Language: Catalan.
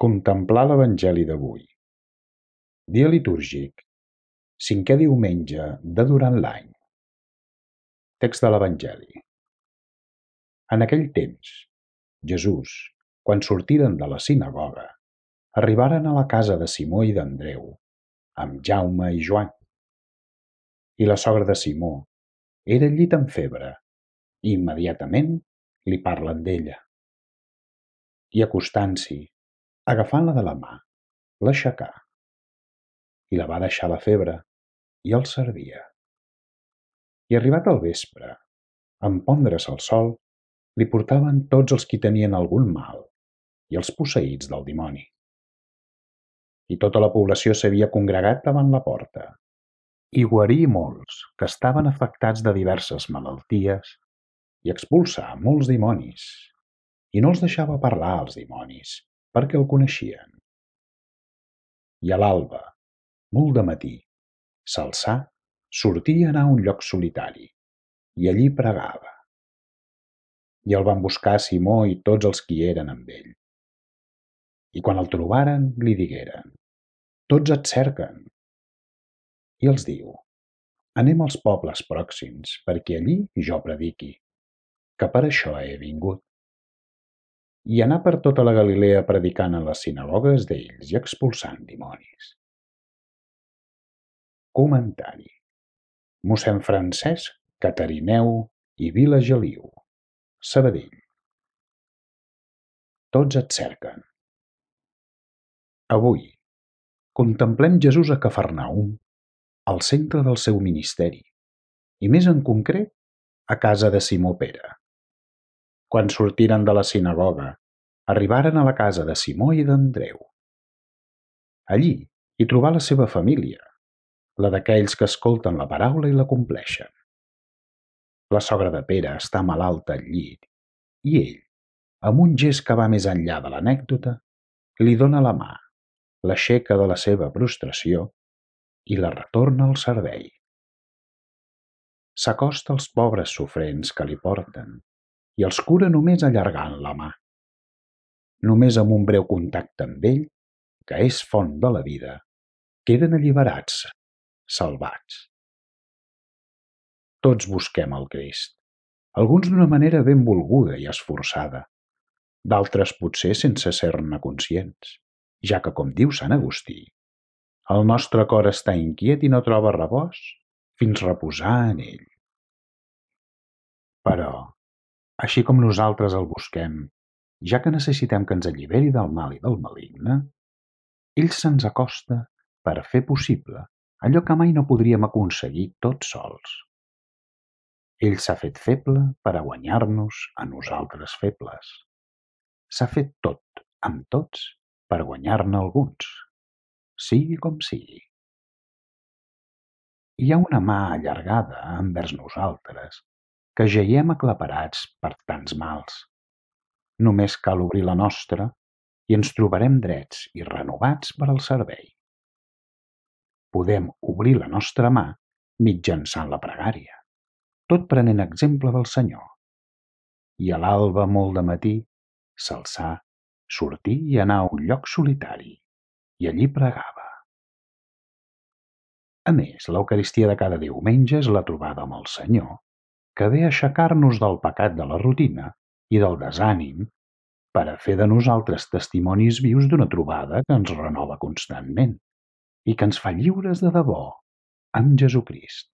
Contemplar l'Evangeli d'avui. Dia litúrgic, 5è diumenge de durant l'any. Text de l'Evangeli. En aquell temps, Jesús, quan sortiren de la sinagoga, arribaren a la casa de Simó i d'Andreu, amb Jaume i Joan. I la sogra de Simó era al llit amb febre, i immediatament li parlen d'ella. I acostant-s'hi, agafant-la de la mà, l'aixecà, i la va deixar la febre, i els servia. I arribat el vespre, en pondre's el sol, li portaven tots els qui tenien algun mal i els posseïts del dimoni. I tota la població s'havia congregat davant la porta, i guarí molts que estaven afectats de diverses malalties i expulsà molts dimonis, i no els deixava parlar als dimonis, perquè el coneixien. I a l'alba, molt de matí, s'alçà, sortí i anà a un lloc solitari, i allí pregava. I el van buscar Simó i tots els qui eren amb ell. I quan el trobaren, li digueren: «Tots et cerquen». I els diu: «Anem als pobles pròxims, perquè allí jo prediqui, que per això he vingut». I anà per tota la Galilea predicant en les sinagogues d'ells i expulsant dimonis. Comentari. Mossèn Francesc Catarineu i Vila Geliu, Sabadell. Tots et cerquen. Avui contemplem Jesús a Cafarnaüm, al centre del seu ministeri, i més en concret a casa de Simó Pere. Quan sortiren de la sinagoga, arribaren a la casa de Simó i d'Andreu. Allí hi trobà la seva família, la d'aquells que escolten la paraula i la compleixen. La sogra de Pere està malalta al llit, i ell, amb un gest que va més enllà de l'anècdota, li dona la mà, l'aixeca de la seva prostració i la retorna al servei. S'acosta als pobres sofrents que li porten i els cura només allargant la mà. Només amb un breu contacte amb ell, que és font de la vida, queden alliberats, salvats. Tots busquem el Crist, alguns d'una manera ben volguda i esforçada, d'altres potser sense ser-ne conscients, ja que, com diu Sant Agustí, el nostre cor està inquiet i no troba repòs fins reposar en ell. Però, així com nosaltres el busquem, ja que necessitem que ens alliberi del mal i del maligne, ell se'ns acosta per fer possible allò que mai no podríem aconseguir tots sols. Ell s'ha fet feble per a guanyar-nos a nosaltres febles. S'ha fet tot amb tots per guanyar-ne alguns, sigui com sigui. Hi ha una mà allargada envers nosaltres que jaiem aclaparats per tants mals. Només cal obrir la nostra i ens trobarem drets i renovats per al servei. Podem obrir la nostra mà mitjançant la pregària, tot prenent exemple del Senyor. I a l'alba molt de matí s'alçà, sortí i anà a un lloc solitari, i allí pregava. A més, l'Eucaristia de cada diumenge és la trobada amb el Senyor, que ve a aixecar-nos del pecat de la rutina i del desànim per a fer de nosaltres testimonis vius d'una trobada que ens renova constantment i que ens fa lliures de debò amb Jesucrist.